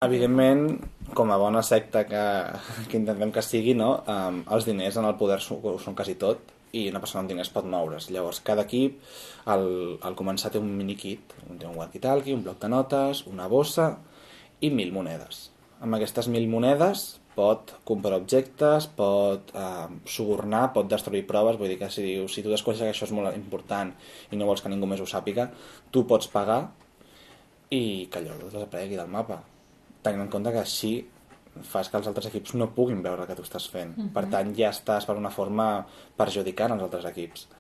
Evidentment, com a bona secta que intentem que sigui, no? Els diners en el poder són quasi tot i una persona amb diners pot moure's. Llavors, cada equip, al començar, té un mini-kit. Té un walkie-talkie, un bloc de notes, una bossa i 1.000 monedes. Amb aquestes 1.000 monedes pot comprar objectes, pot subornar, pot destruir proves. Vull dir que si tu descobreixes que això és molt important i no vols que ningú més ho sàpiga, tu pots pagar i que allò desaparegui del mapa, tenint en compte que així fas que els altres equips no puguin veure el que tu estàs fent. Per tant, ja estàs per una forma perjudicant als altres equips.